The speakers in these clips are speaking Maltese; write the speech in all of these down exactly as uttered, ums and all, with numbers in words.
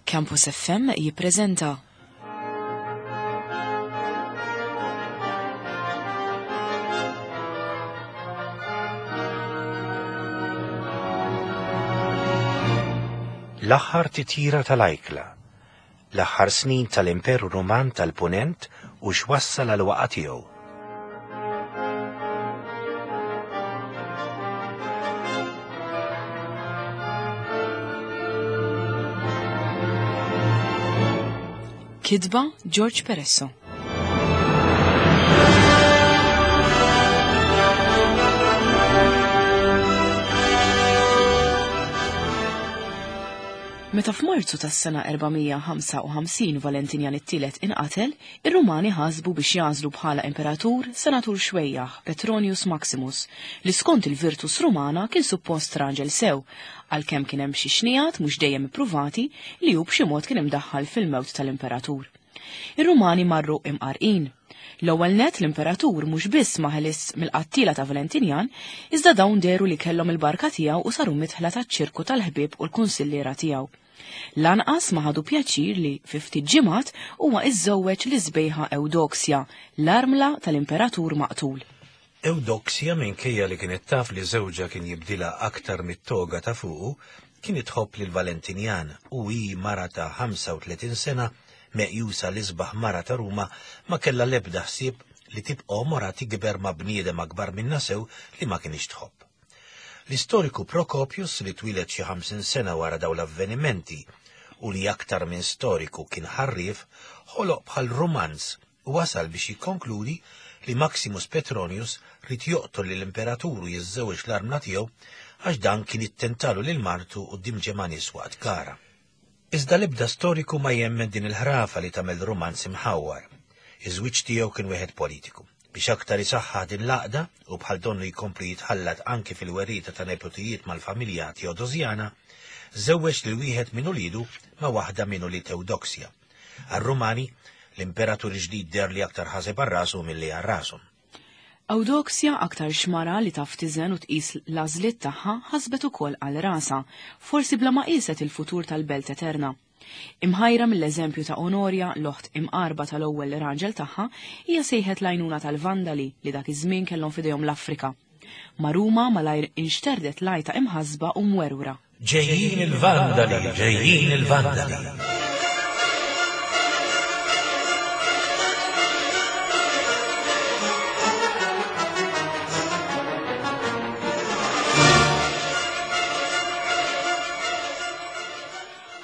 Campus F M jippreżenta L-aħħar titjira tal-ajkla, l-aħħar snin tal-Imperu Ruman tal-Punent u x'wassal għal waqgħa tiegħu. Kitba George Peresso. Meta f'Marzu tas-sena erba' mija u ħamsa u ħamsin Valentinjan it-tielet inqatel, ir-Rumani ħasbu biex jagħżlu bħala imperatur senatur xwejjaħ, Petronius Maximus, li skont il-Virtus Rumana kien suppost raġel sew, għalkemm kien hemm xi xnijat mhux dejjem ippruvati li hu b'xi mod kien imdaħħal fil-mewt tal-imperatur. Ir-Rumani marru imqarqin. L-ewwel net, l-imperatur mhux biss ma ħelis mill-qattila ta' Valentinjan, iżda dawn deru li kellhom il-barka tiegħu u saru mitħla taċ-ċirku tal-ħbieb u l-kunsilliera tiegħu. Lanqas ma ħadu pjaċir li fi ftit ġimgħat huwa iżżewweġ l-isbejħa Eudoxia, l-armla tal-imperatur maqtul. Eudoxia, minkejja li kienet taf li żewġha kien jibdilha aktar mit-toga ta' fuqu, kien tħobb lil Valentinjan u hi mara ta' ħamsa u tletin sena, meqjusa l-isbaħ mara ta' Ruma, ma kellha l-ebda ħsieb li tibqa' għomorha tikber ma' bniedem akbar minnha sew li ma kienx tħobb. L-istoriku Procopius, li twieled xi ħamsin sena wara daw l-avvenimenti u li aktar minn storiku kien ħarrif, ħoloq bħal romanz u wasal biex jikkonkludi li Maximus Petronius ried joqtol lill-imperatur u jiżżewweġ l-armla tiegħu għax dan kien ittentalu lil martu quddiem ġemgħa nies waqt gara. Iżda l-ebda storiku ma jemmen din il-ħrafa li tagħmel romanz imħawwar. Iż-żwieġ tiegħu kien wieħed politiku. Biex aktar isaħħaħ din l-għaqda u bħal donnu jkompli jitħallat anki fil-werrieta ta' nepotijiet mal-familja Teodosjana, żewweġ lil wieħed minn uliedu ma' waħda minn ulied Eudoxia. Għar-Rumani, l-imperatur ġdid deher li aktar ħaseb għal rasu milli għal rashom. Eudoxia, aktar xmara li taf tiżen u tqis l-għażliet tagħha, ħasbet ukoll għal rasha, forsi bla ma qiset il-futur tal-Belt Eterna. Imħajra mill-eżempju ta' Onorja, l-oħt imqarba tal-ewwel raġel tagħha, hija sejħet l-għajnuna tal-Vandali li dak iż-żmien kellhom f'idejhom l-Afrika. Ma' Ruma malajr inxterdet l-għajta imħasba u mwerwra. Ġejjin il-Vandali, ġejjin il-Vandali.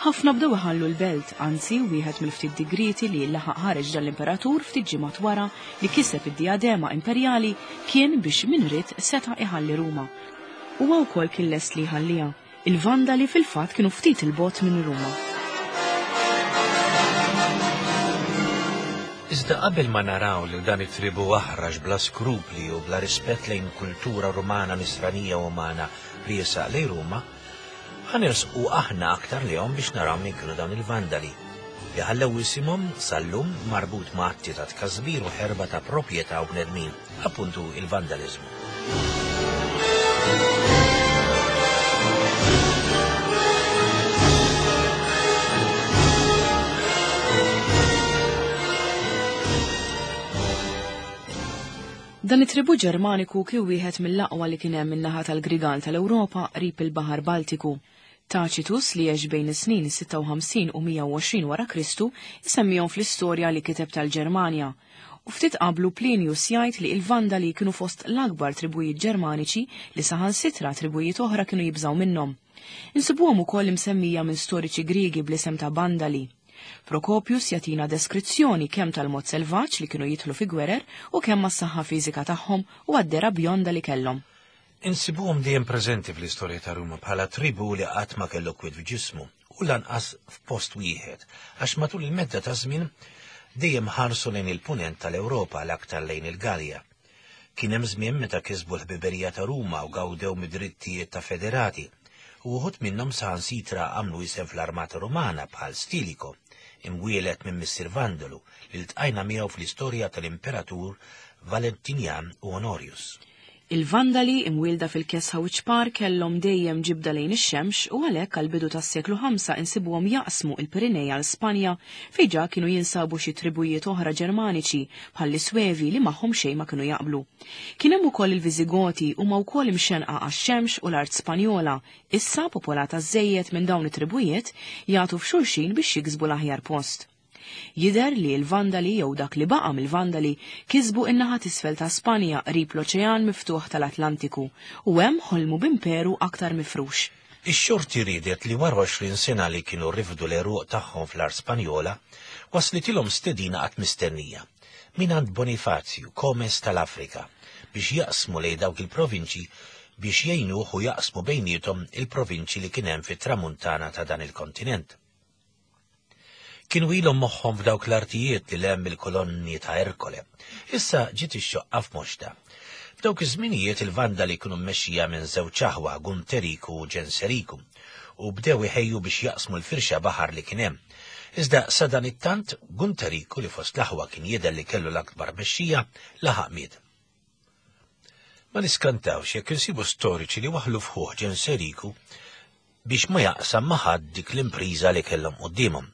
Ħafna bdew iħallu l-belt, anzi wieħed mill-ftit digriti li laħaq ħareġ dal-imperatur ftit ġimgħat wara li kiseb id-diadema imperjali kien biex min ried seta' iħalli Ruma. Huwa wkoll kien lest li jħalliha. Il-Vandali fil-fatt kienu ftit il-bogħod minn Ruma. Iżda qabel ma naraw li dan it-tribu aħrax bla skrupli u bla rispett lejn kultura Rumana, nisranija u umana riesaq lejn Ruma, ħa nersqu aħna aktar lejhom biex naraw min kienu dawn il-Vandali li ħallew isimhom sal-lum marbut ma' atti ta' tkasbir u ħerba ta' proprjetà u bnedmin, appuntu il-vandalizmu. Dan it-tribu Ġermaniku kien wieħed mill-aqwa li kien hemm min-naħa tal-Grigal tal-Ewropa qrib il-Baħar Baltiku. Tacitus, li għex bejn is-snin sitta u ħamsin u mija u għoxrin wara Kristu, isemmihom fl-istorja li kiteb tal-Ġermanja. U ftit qablu Plinius jgħid li il-Vandali kienu fost l-akbar tribujiet Ġermaniċi li saħansitra tribujiet oħra kienu jibżaw minnhom. Insibuhom ukoll imsemmija minn storiċi Griegi bl-isem ta' Bandali. Procopius jagħtina deskrizzjoni kemm tal-mod selvaġġ li kienu jidħlu fi gwerer u kemm mas-saħħa fiżika tagħhom u għad-dehra bjonda li kellhom. Insibuhom dejjem preżenti fl-istorja ta' Ruma bħala tribu li qatt ma kellu kwiet f'ġismu u lanqas f'post wieħed, għax matul il-medda ta' żmien dejjem ħarsu lejn il-punent tal-Ewropa, l-aktar lejn il-Galja. Kien hemm żmien meta kisbu l-ħbiberija ta' Ruma u gawdew mid-drittijiet ta' federati, u wħud minnhom saħansitra għamlu isem fl-armata Rumana bħal Stilicho, imwielet minn missier Vandalu li ltqajna miegħu fl-istorja tal-imperatur Valentinian u Honorius. Il-Vandali imwielda fil-kesħa u ċpar kellhom dejjem ġibda lejn ix-xemx u għalhekk għall-bidu tas-seklu ħamsa insibuhom jaqsmu il-Pirinej għal Spanja fejn ġa kienu jinsabu xi tribujiet oħra Ġermaniċi bħall-Iswevi li magħhom xejn ma kienu jaqblu. Kien hemm ukoll il-Viżigoti huma wkoll imxenqa għax-xemx u l-art Spanjola, issa popolata żejjed minn dawn it-tribujiet jagħtu f'xulxin biex jiksbu l-aħjar post. Jidher li l-Vandali jew dak li baqa' mill-Vandali kisbu in-naħa t'isfel ta' Spanja qrib l-Oċean miftuħ tal-Atlantiku u hemm ħolmu b'imperu aktar mifrux. Ix-xorti riedet li wara għoxrin sena li kienu rifdu l-għeruq tagħhom fl-art Spanjola, waslitilhom stedina qatt mistennija mingħand Bonifazju, komes tal-Afrika, biex jaqsmu lejn dawk il-provinċji biex jgħinuh u jaqsmu bejniethom il-provinċji li kien hemm fit-tramuntana ta' dan il-kontinent. Kienu ilhom moħħhom f'dawk l-artijiet li hemm il-kolonni ta' Erkole. Issa ġiet ix-xoqqa f'moxta. F'dawk iż-żminijiet il-Vandali kienu mmexxija minn żewġ aħwa, Gunteriku u Ġenseriku, u bdew iħejju biex jaqsmu l-firxa baħar li kien hemm. Iżda sa dan it-tant Gunteriku li fost l-aħwa kien jidher li kellu l-akbar mexxija laħaq miet. Ma niskantawx jekk insibu storiċi li waħlu f'ħuh Ġenseriku biex ma jaqsam ma' ħadd dik l-impriża li kellhom quddiemhom.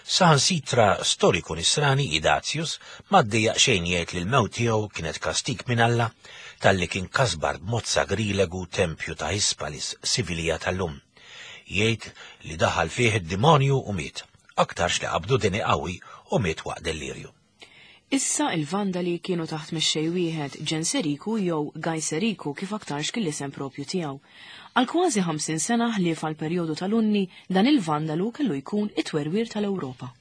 Saħansitra storiku nisrani Idazius ma ddejjaq xejn jgħid li l-mewt tiegħu kienet kastik minn Alla talli kien kasbar b'mod sagrilegu tempju ta' Hispalis, Sivilija tal-lum. Jgħid li daħal fih id-demonju u miet, aktarx li qabdu deni qawwi u miet waqt delirju. Issa il-Vandali kienu taħt mexxej wieħed, Ġenseriku jew Gajseriku kif aktarx kien l-isem propju tiegħu. Għal kważi ħamsin sena ħlief għal perjodu tal-Unni, dan il-Vandalu kellu jkun it-twerwir tal-Ewropa.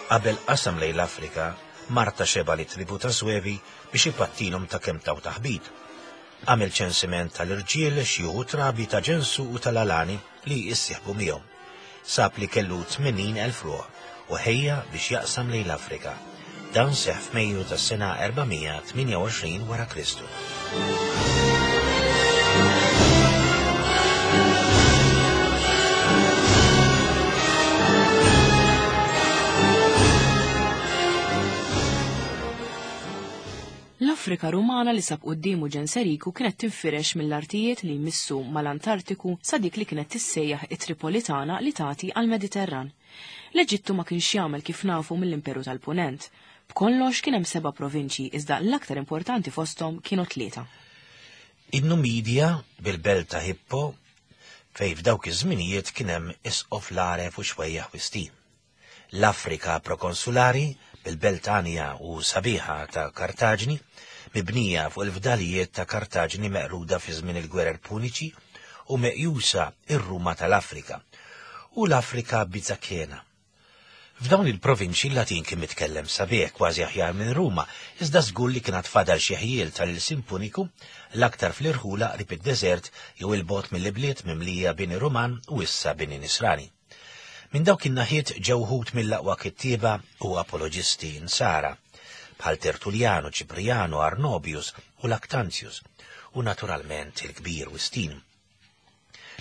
Qabel qasam lejn l-Afrika, Marta xeba li tribu ta' Swevi biex ipattilhom ta' kemm taw taħbit. Għamel ċensiment tal-irġiel, xjuħu trabi ta' Ġensu u tal-Alani li jissieħbu miegħu. Sab li kellu tmenin elf ruħ u ħejja biex jaqsam lejn l-Afrika. Dan seħħ f'Mejju tas-sena erba' mija tmienja u għoxrin wara Kristu. L-Afrika Rumana li sab quddiemu Ġenseriku kienet tinfirex mill-artijiet li jmissu mal-Antartiku sa dik li kienet tissejjaħ it-Tripolitana li tagħti għall-Mediterran. L-Eġittu ma kienx jagħmel kif nafu mill-Imperu tal-Punent. B'kollox kien hemm seba' provinċji iżda l-aktar importanti fosthom kienu tlieta. In-Numidja bil-belt ta' Hippo fejn f'dawk iż-żminijiet kien hemm isqof l-għaref u xwejjaħ Wistin. L-Afrika prokonsulari bil-belt għanja u sabiħa ta' Kartaġni, mibnija fuq il-fdalijiet ta' Kartaġni meqruda fi żmien il-gwerer Puniċi u meqjusa ir-Ruma tal-Afrika, u l-Afrika Bizakena. F'dawn il-provinċi l-Latin kien mitkellem sabiħ kważi aħjar minn Ruma, iżda żgur li kien fadal xi ħjiel tal-ilsien Puniku, l-aktar fl-irħula qrib id-deżert jew il-bot mill-ibliet mimlija bini Ruman u issa bini Nisrani. Minn dawk in-naħiet ġew wħud mill-aqwa kittieba u apoloġisti nsara, bħal Tertulliano, Ċipriano, Arnobius u Lactantius, u naturalment il-kbir Wistin,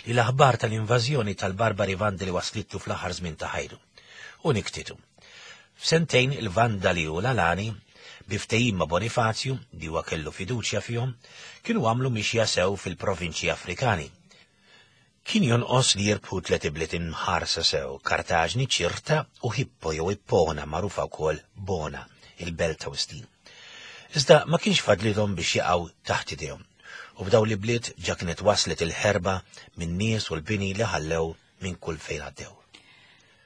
li l-aħbar tal-invażjoni tal-barbari Vandali waslitlu fl-aħħar żmien ta' ħajtu, u niktitu. F'sentejn il-Vandali u l-Alani, bi ftehim ma' Bonifazju, li huwa kellu fiduċja fihom, kienu għamlu mixja sew fil-provinċji Afrikani. Kien jonqos li jirbħu tliet ibliet imħarsa sew, Kartaġni, Ċirta u Hippo jew Ippona, magħrufa wkoll Bona, il-belt ta' Wistin. Iżda ma kienx fadlilhom biex jaqgħu taħt idejhom, u f'dawn l-ibliet ġa kienet waslet il-ħerba minn nies u l-bini li ħallew minn kull fejn għaddew.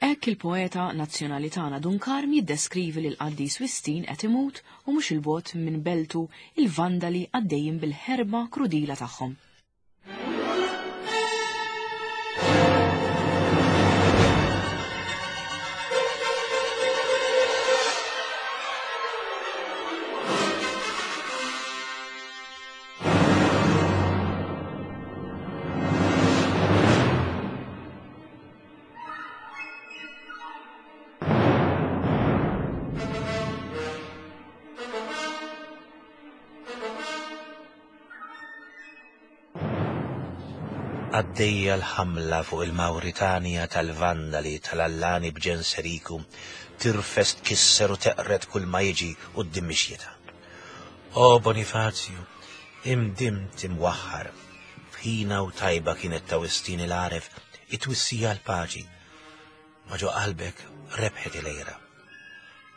Hekk il-poeta nazzjonali tagħna Dun Karm jiddeskrivi lil qaddis Wistin qed imut u mhux il-bogħod minn beltu il-Vandali għaddejjin bil-ħerba krudila tagħhom. Għaddejja l-ħamla fuq il-Mawritanja tal-Vandali tal-Allani b'Ġenseriku, tirfes tkisser u teqred kull ma jiġi quddiem mixjitha. O Bonifazju, imdimt imwaħħar, f'ħina u tajba kienet ta' Wistin il-għaref it-twissija l-paċi, ma ġo qalbek rebħet il-għira.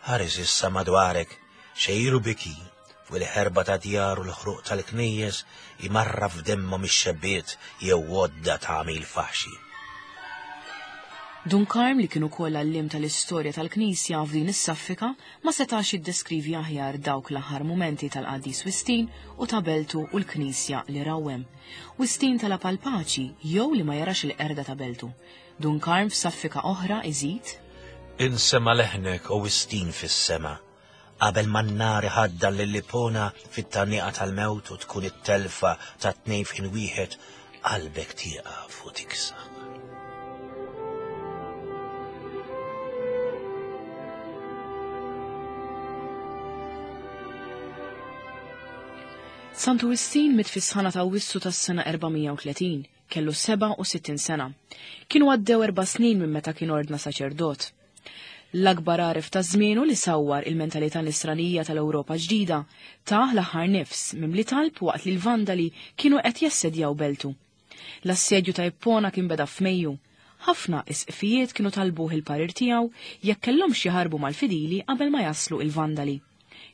Ħares issa madwarek, xejru biki, fuq il-ħerba ta' djar u l-ħruq tal-knejjes imarra f'demmhom ix-xebbiet jew għodda ta' għamil faħxi. Dun Karm, li kien ukoll għalliem tal-istorja tal-Knisja f'din is-saffika, ma setax jiddeskrivi aħjar dawk l-aħħar mumenti tal-qaddis Wistin u ta' beltu u l-Knisja li rawwem. Wistin talab għall-paċi jew li ma jarax il-qerda ta' beltu. Dun Karm f'saffika oħra iżid: Insema' leħnek, o Wistin fis-sema, qabel ma n-nar iħaddan lil Ipona fit-tgħanniqa tal-mewt u tkun it-telfa ta' tnejn f'ħin wieħed, qalbek tieqaf u tiksaħ. Santu Wistin miet fis-sħana ta' Awwissu tas-sena erba' mija u tletin, kellu sebgħa u sittin sena. Kienu għaddew erba' snin minn meta kien ordna saċerdot. L-akbar għaref ta' żmienu li sawwar il-mentalità nisranija tal-Ewropa ġdida, tah l-aħħar nifs mimli talb waqt li l-Vandali kienu qed jassedjaw beltu. L-assedju ta' Ippona kien beda f'Mejju. Ħafna isqfijiet kienu talbuh il-parir tiegħu jekk kellhomx jaħarbu mal-fidili qabel ma jaslu il-Vandali.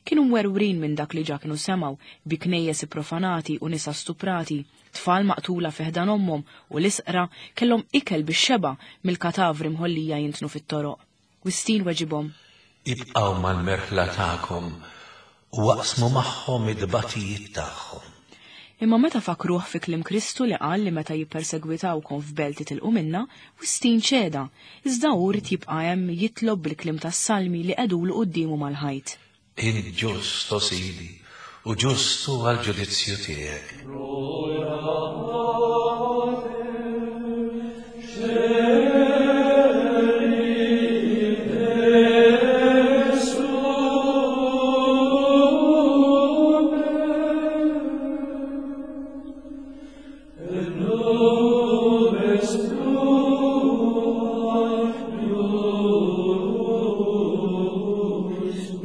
Kienu mwerwrin minn dak li ġa kienu semgħu bi knejjes profanati u nisa stuprati, tfal maqtula fi ħdan ommhom u l-isqra kellhom ikel bix-xeba mill-katavri mħollija jintnu fit-toroq. Wistin weġibhom: Ibqgħu mal-merħla tagħkom u aqsmu magħhom id-batijiet tagħhom. Imma meta fakruh fi kliem Kristu li qal li meta jippersegwitawkom f'belt titilqu minna, Wistin ċeda, iżda hu ried jibqa' hemm jitlob bil-kliem tas-salmi li qegħdulu quddiemu mal-ħajt. Int ġust, o Sidi, u ġustu għal-ġudizzju tiegħek.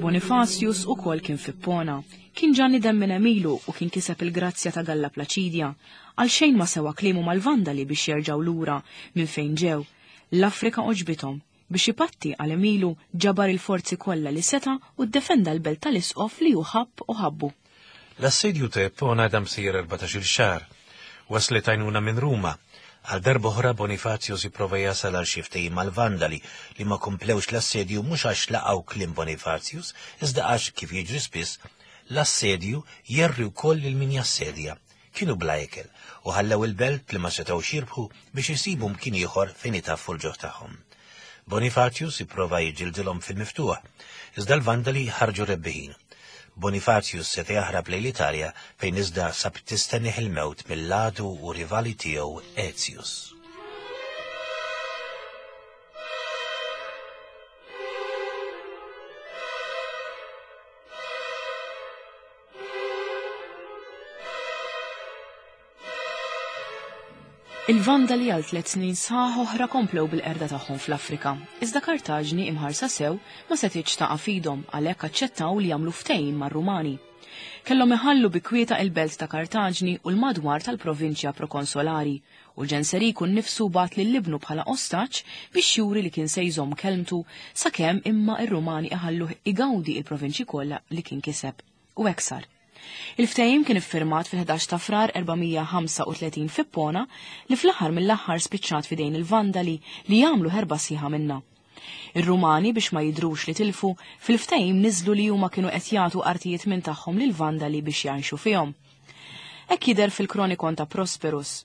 Bonifatius ukoll kien f'Ippona. Kien ġa nidem minn għemilu u kien kiseb il-grazzja ta' Galla Plaċidja. Għal xejn ma sewa kliemu mal-Vandali biex jerġgħu lura minn fejn ġew. L-Afrika oġbithom. Biex ipatti għal għemilu ġabar il-forzi kollha li seta' u ddefenda l-belt tal-isqof li hu ħabb u ħabbu. L-assedju ta' Ippona dam sejjer erbatax-il xahar. Waslet għajnuna minn Ruma. Għal darba oħra Bonifatius ipprova jasal għal xi ftehim mal-Vandali li ma komplewx l-assedju mhux għax laqgħu kliem Bonifatius, iżda għax, kif jiġri spiss, l-assedju jerri wkoll lil min jassedja. Kienu bla ikel u ħallew il-belt li ma setgħux jirbħu biex isibu mkien ieħor fejn itaffu l-ġuħ tagħhom. Bonifatius ipprova jiġġildilhom fil-miftuħ, iżda l-Vandali ħarġu rebbiħin. Bonifatius seta' jaħrab lejn l-Italja fejn iżda sab tistennieh il-mewt mill-għadu u rivali tiegħu Aetius. Il-Vandali għal tliet snin sħaħ oħra komplew bil-qerda tagħhom fl-Afrika. Iżda Kartaġni imħarsa sew ma setgħetx taqa' f'idhom, għalhekk aċċettaw li jagħmlu ftehim mar-Rumani. Kellhom iħallu bi kwieta il-belt ta' Kartaġni u l-madwar tal-provinċja prokonsolari, u Ġenseriku nnifsu bagħat lil ibnu bħala ostaġġ biex juri li kien se jżomm kelmtu sakemm imma ir-Rumani iħalluh igawdi il-provinċji kollha li kien kiseb. U hekk sar. Il-ftehim kien iffirmat fil-ħdax ta' Frar erba' mija ħamsa u tletin f'Ippona li fl-aħħar mill-aħħar spiċċat f'idejn il-Vandali li jagħmlu ħerba sħiħa minnha. Ir-Rumani, biex ma jidrux li tilfu, fil-ftehim niżlu li huma kienu qed jagħtu artijiet minn tagħhom lil Vandali biex jgħixu fihom. Hekk jidher fil-Kronikon ta' Prosperus.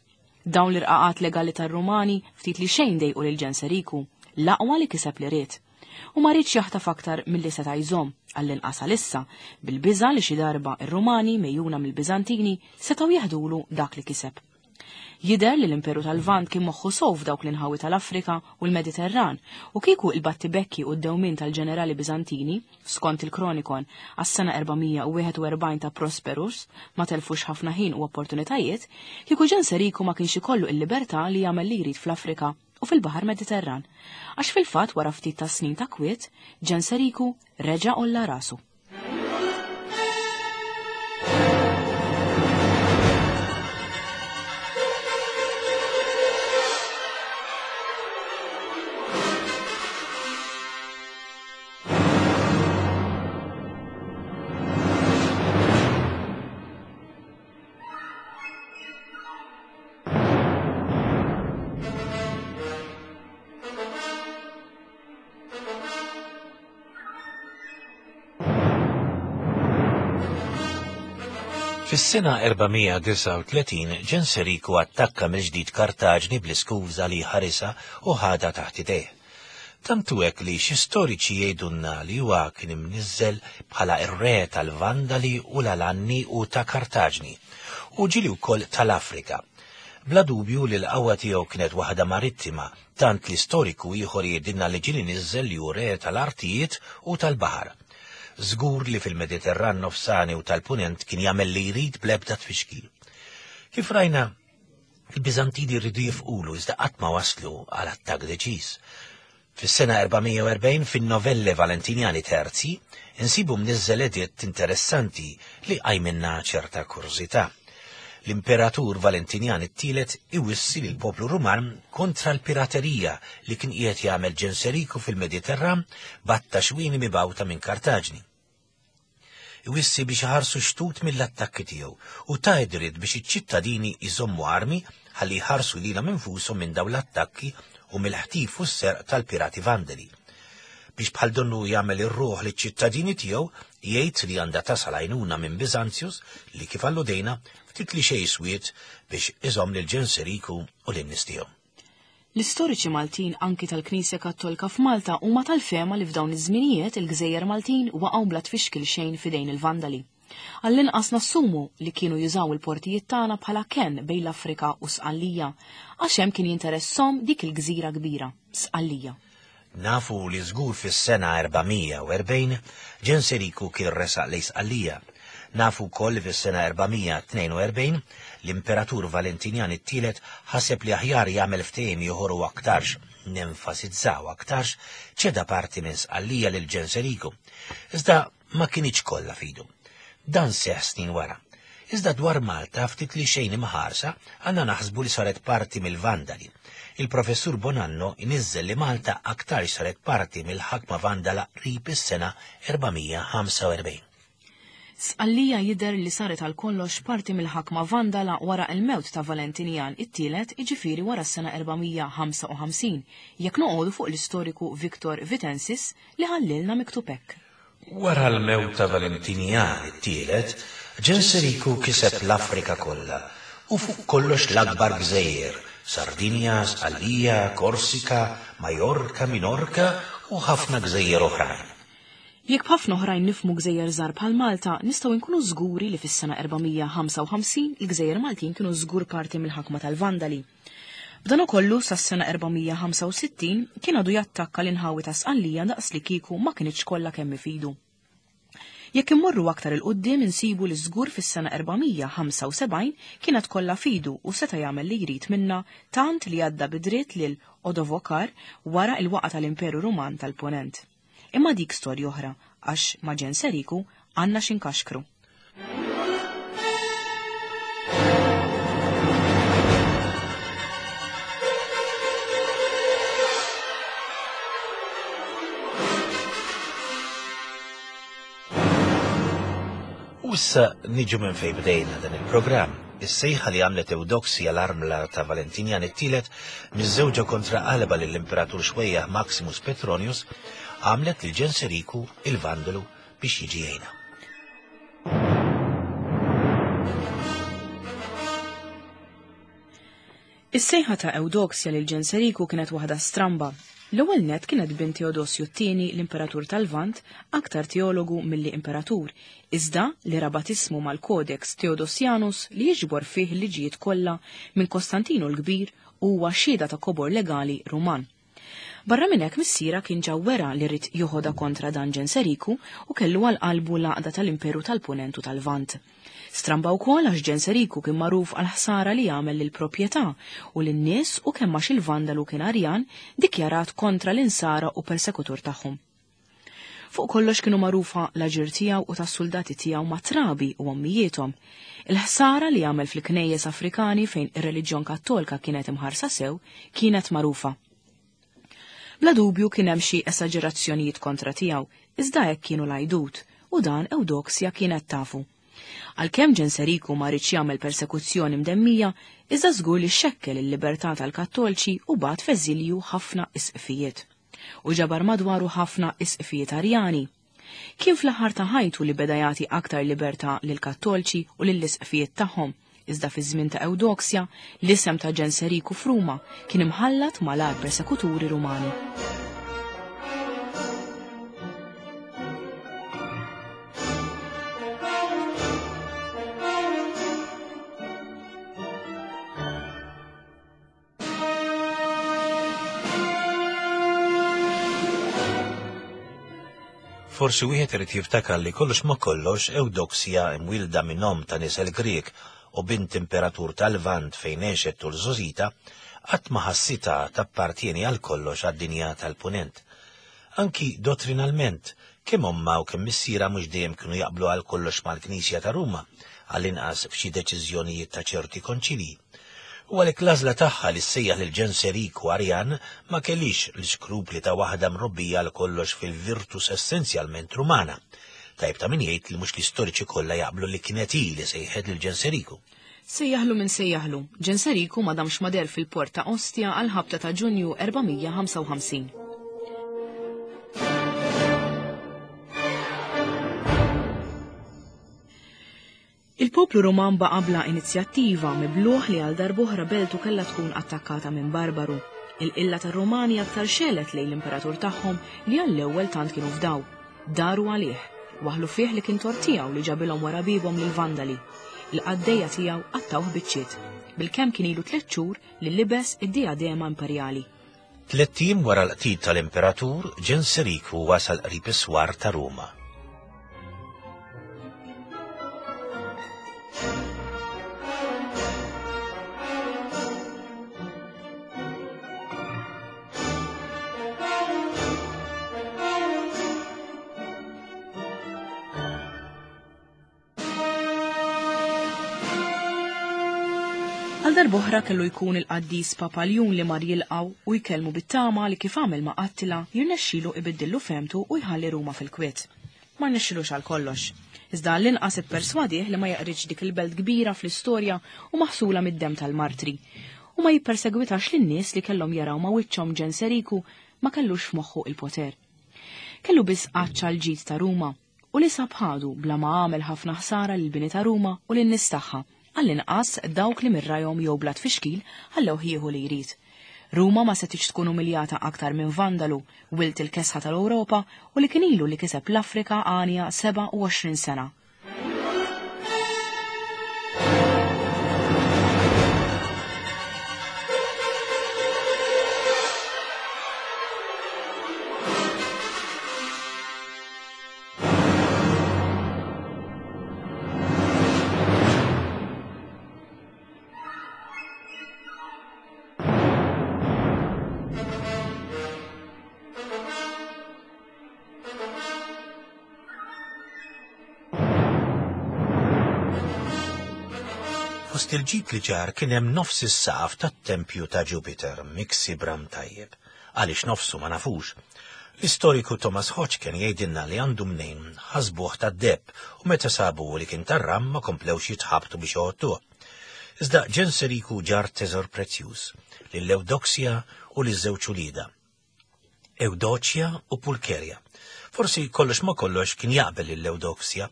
Dawn l-irqaqat legali tar-Rumani ftit li xejn dejqu lil Ġenseriku, l-aqwa li kiseb li ried. U ma riedx jaħtaf aktar milli seta' jżomm, għall-inqas għalissa, bil-biża' li xi darba ir-Rumani mejjuna mill-Biżantini setgħu jeħdulu dak li kiseb. Jidher li l-Imperu tal-Lvant kien moħħu sew f'dawk l-inħawi tal-Afrika u l-Mediterran u kieku il-battibekki u d-dewmien tal-ġenerali Biżantini, skont il-Kronikon, għas-sena erba' mija u wieħed u erbgħin ta' Prosperus, ma telfux ħafna ħin u opportunitajiet, kieku Ġenseriku ma kienx ikollu il-libertà li jagħmel li jrid fl-Afrika u fil-Baħar Mediterran. Għax fil-fatt wara ftit ta' snin ta' kwiet, Ġenseriku reġa' olla rasu. Fis-sena erba' mija disgħa u tletin Ġenseriku attakka mill-ġdid Kartaġni bl-iskuża li ħarisha u ħadha taħt idejh. Tant hu hekk li xi storiċi jgħidulna li huwa kien imniżżel bħala r-re tal-Vandali u l-Alanni u ta' Kartaġni, u ġieli wkoll tal-Afrika. Bla dubju li l-qawwa tiegħu kienet waħda marittima, tant li storiku ieħor jgħidilna li ġieli niżżel li hu re tal-artijiet u tal-baħar. Żgur li fil-Mediterran nofsani u tal-Punent kien jagħmel li jrid bl-ebda tfixkil. Kif rajna, il-Biżantini rridu jifqulu iżda qatt ma waslu għal attakk deċiż. Fis-sena erba' mija u erbgħin fin-Novelle Valentinjani Terzi insibu mniżżel editt interessanti li qajminna ċerta kurżità. L-Imperatur Valentinjan it-tielet iwissi lill poplu Ruman kontra l-piraterija li kien qiegħed jagħmel Ġenseriku fil-Mediterran batta xwini mibgħuta minn Kartaġni. Iwissi biex iħarsu xtut mill-attakki tiegħu u ta' dritt biex iċ-ċittadini jżommu armi ħalli jħarsu lilhom infushom minn dawn l-attakki u mill-ħtif u s-serq tal-pirati Vandali. Biex bħal donnu jagħmel ir-ruħ liċ-ċittadini tiegħu jgħid li għandha tasal għajnuna minn Biżanzjus li kif alludejna ftit li xejn swiet biex iżomm lil Ġenseriku u lin-nies tiegħu. L-istoriċi Maltin anki tal-Knisja Kattolika f'Malta huma tal-fehma li f'dawn iż-żminijiet il-Gżejjer Maltin waqgħu bla tfixkil xejn f'idejn il-Vandali. Għall-inqas nassumu li kienu jużaw il-portijiet tagħna bħala kenn bejn l-Afrika u Sqallija, għax hemm kien jinteressom dik il-gżira kbira, Sqallija. Nafu li żgur fis-sena erba' mija u erbgħin Ġenseriku kien resaq lejn Sqallija. Nafu wkoll li fis-sena erba' mija tnejn u erbgħin l-Imperatur Valentinjan it-tielet ħaseb li aħjar jagħmel ftehim ieħor u aktarx, nenfasizzaw aktarx, ċeda parti minn Sqallija lil Ġenseriku. Iżda ma kinitx kollha fidu. Dan seħ snin wara. Iżda dwar Malta ftit li xejn imħarsa għandna naħsbu li saret parti mill-Vandali. Il-professur Bonanno iniżżel li Malta aktar saret parti mill-ħakma Vandala qrib is-sena erba' mija ħamsa u erbgħin. Sqallija jidher li saret għal kollox parti mill-ħakma Vandala wara l-mewt ta' Valentinjan it-tielet, jiġifieri wara s-sena erba' mija ħamsa u ħamsin, jekk noqogħdu fuq l-istoriku Victor Vitensis li ħallilna miktub hekk. Wara l-mewt ta' Valentinjan it-tielet, Ġenseriku kiseb l-Afrika kollha u fuq kollox l-akbar gżejjer, Sardinja, Sqallija, Korsika, Majorka, Minorka u ħafna gżejjer oħrajn. Jekk b'ħafna oħrajn nifhmu gżejjer żgħar bħal Malta, nistgħu nkunu żguri li fis-sena erba' mija ħamsa u ħamsin il-gżejjer Maltin kienu żgur parti mill-ħakma tal-Vandali. B'dan ukollu sas-sena erba' mija ħamsa u sittin kien għadu jattakka l-inħawi ta' Sqallija daqs li kieku ma kinitx kollha kemm ifidu. Jekk immorru aktar il-qudiem insibu li żgur fis-sena erba' mija ħamsa u sebgħin kienet kollha fidu u seta' jagħmel li jrid minna tant li għadda bidritt lil Odovokar wara il-waqa tal-Imperu Ruman tal-Ponent. Imma dik storja oħra, għax ma' Ġenseriku għandna x'inkaxkru. U issa niġu minn fejn bdejna dan il-programm. Is-sejħa li għamlet Ewdoksja l-armla ta' Valentinjan it-tielet miżżewġa kontra qalba lill-Imperatur xwejjaħ Maximus Petronius għamlet lil Ġenseriku il-Vandalu biex jiġi jgħinha. Is-sejħa ta' Ewdoksja lil Ġenseriku kienet waħda stramba. L-ewwel nett kienet bint Teodosju t-tieni l-Imperatur tal-Lvant, aktar teologu milli imperatur, iżda li rabat ismu mal-Codex Theodosianus li jiġbor fih il-liġijiet kollha minn Kostantinu l-Kbir u huwa xhieda ta' kobor legali Ruman. Barra minn hekk missiera kien ġa wera li ried joħodha kontra dan Ġenseriku u kellu għal qalbu l-għaqda tal-Imperu tal-Punent u tal-Lvant. Stramba wkoll għax Ġenseriku kien magħruf għal ħsara li jagħmel lill-proprjetà u lin-nies u kemm għax il-Vandalu kien Arjan dikjarat kontra l-insara u persekutur tagħhom. Fuq kollox kienu magħrufa l-aġir tiegħu u tas-suldati tiegħu ma' trabi u ommijiethom. Il-ħsara li għamel fil-knejjes Afrikani fejn ir-reliġjon Kattolika kienet imħarsa sew kienet magħrufa. Bla dubju kien hemm xi esaġerazzjonijiet kontra tiegħu, iżda hekk kienu l-għajdut u dan Ewdoksja kienet tafu. Għalkemm Ġenseriku ma riedx jagħmel persekuzzjoni mdemmija, iżda żgur li xekkel il-libertà tal-Kattolċi u bagħat f'eżilju ħafna isqfijiet. U ġabar madwaru ħafna isqfijiet Arjani. Kien fl-aħħar ta' ħajtu li beda jagħti aktar libertà lill-Kattolċi u lill-isqfijiet tagħhom, iżda fi żmien ta' Ewdoksja l-isem ta' Ġenseriku f'Ruma kien imħallat mal-agħar persekuturi Rumani. Forsi wieħed irid jiftakar li kollox ma kollox Ewdoksja imwielda minn omm ta' nisel Grieg u bint imperatur tal-Lvant fejn għexet tul żgħożitha, qatt ma ħassitha tappartieni għal kollox għad-dinja tal-Punent. Anki dottrinalment, kemm ommha u kemm missiera mhux dejjem kienu jaqblu għal kollox mal-Knisja ta' Ruma, għall-inqas f'xi deċiżjonijiet ta' ċerti konċilji. U għalhekk l-għażla tagħha li ssejjaħ lil Ġenseriku Arjan ma kellix l-iskrupli ta' waħda mrobbija għal kollox fil-virtus essenzjalment Rumana. Tajb ta' min jgħid li mhux l-istoriċi kollha jaqblu li kienet hi li sejħet lil Ġenseriku. Sejjaħlu minn sejjaħlu, Ġenseriku ma damx ma deher fil-port ta' Ostia għal ħabta ta' Ġunju erba' mija ħamsa u ħamsin. Il-poplu Ruman baqa' bla inizjattiva mibluħ li għal darb'oħra beltu kellha tkun attakkata minn barbaru. Il-qilla tar-Rumani aktar xelet lejn l-imperatur tagħhom li għall-ewwel tant kienu fdaw. Daru għalih, waħlu fih li kien tort tiegħu li ġabilhom wara bibhom lill-Vandali. Il-qaddejja tiegħu qattawh biċċiet. Bilkemm kien ilu tliet xhur li libes id-diadema imperjali. Tliet ijiem wara l-qtil tal-imperatur, Ġenseriku wasal qrib is-swar ta' Ruma. Għal darb'oħra kellu jkun il-qaddis Papa Ljun li mar jilqgħu u jkellmu bit-tama li kif għamel ma' Attila jirnexxilu ibiddillu femtu u jħalli Ruma fil-kwiet. Ma rnexxilux għal kollox. Iżda għall-inqas ipperswadih li ma jaqridx dik il-belt kbira fl-istorja u maħsula mid-demm tal-martri. U ma jippersegwitax lin-nies li kellhom jaraw ma' wiċċhom Ġenseriku ma kellux f'moħħu il-poter. Kellu biss għatx għall-ġid ta' Ruma u li sab ħadu bla ma għamel ħafna ħsara lill-bini ta' Ruma u lin-nies tagħha, għall-inqas dawk li mirrajhom jew bla tfixkil ħallew jieħu li jrid. Ruma ma setgħetx tkun umiljata aktar minn Vandalu, wilt il-kesħa tal-Ewropa u li kien ilu li kiseb l-Afrika għanja sebgħa u għoxrin sena. Fost il-ġid li ġar kien hemm nofs is-saqaf tat-tempju ta' Jupiter miksi bram tajjeb, għaliex nofsu ma nafux. L-istoriku Thomas Hodgkin jgħidilna li għandu mnejn ħasbuh tad-deheb u meta sabu li kien tar-ram ma komplewx jitħabtu biex joħodtuh. Iżda Ġenseriku ġar teżor prezzjuż lil Ewdoksja u liż-żewġ uliedha, Ewdoċja u Pulkerja. Forsi kollox ma kollox kien jaqbel lil Ewdoksja,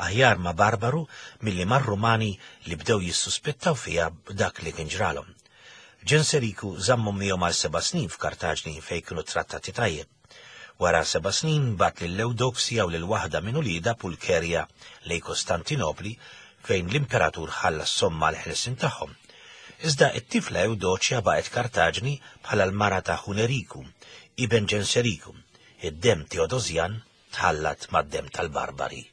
aħjar ma' Barbaru milli mar-Rumani li bdew jissuspettaw fiha b'dak li kien ġralhom. Ġenseriku żammhom miegħu għal seba' snin f'Kartaġni fejn kienu trattati tajjeb. Wara seba' snin bagħat lil Ewdoksja u lil waħda minn uliedha Pulkerja lejn Kostantinopli fejn l-imperatur ħallas somma l-ħelsien tagħhom. Iżda t-tifla Ewdoċja baqgħet Kartaġni bħala l-mara ta' Huneriku, iben Ġenseriku. Id-dem Teodosjan tħallat mad-dem tal-Barbari.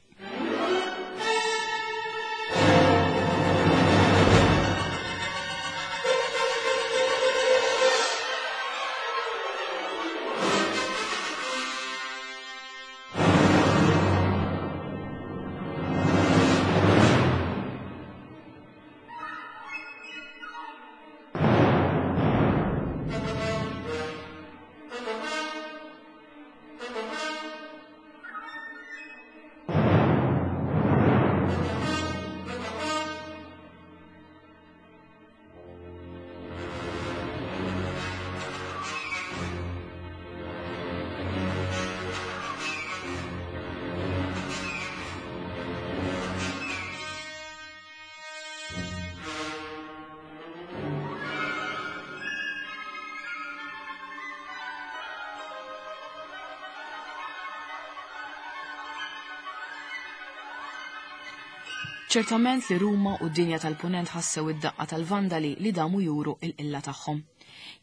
Ċertament li Ruma u d-dinja tal-Punent ħassew id-daqqa tal-Vandali li damu juru il-qilla tagħhom.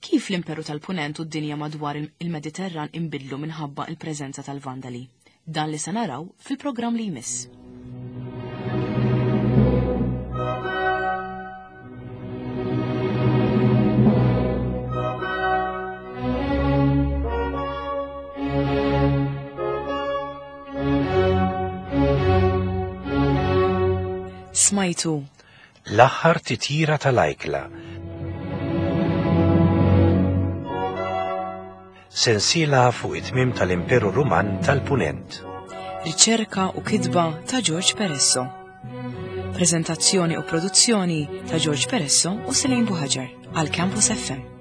Kif l-Imperu tal-Punent u d-dinja madwar il-Mediterran inbidlu minħabba il-preżenza tal-Vandali? Dan li se naraw fil-programm li jmiss. Smajtu L-aħħar titjira tal-ajkla. Sensiela fuq it-tmiem tal-Imperu Ruman tal-Punent. Riċerka u kitba ta' George Peresso. Prezentazzjoni u produzzjoni ta' George Peresso u Selene Buhaġar għal Campus F M.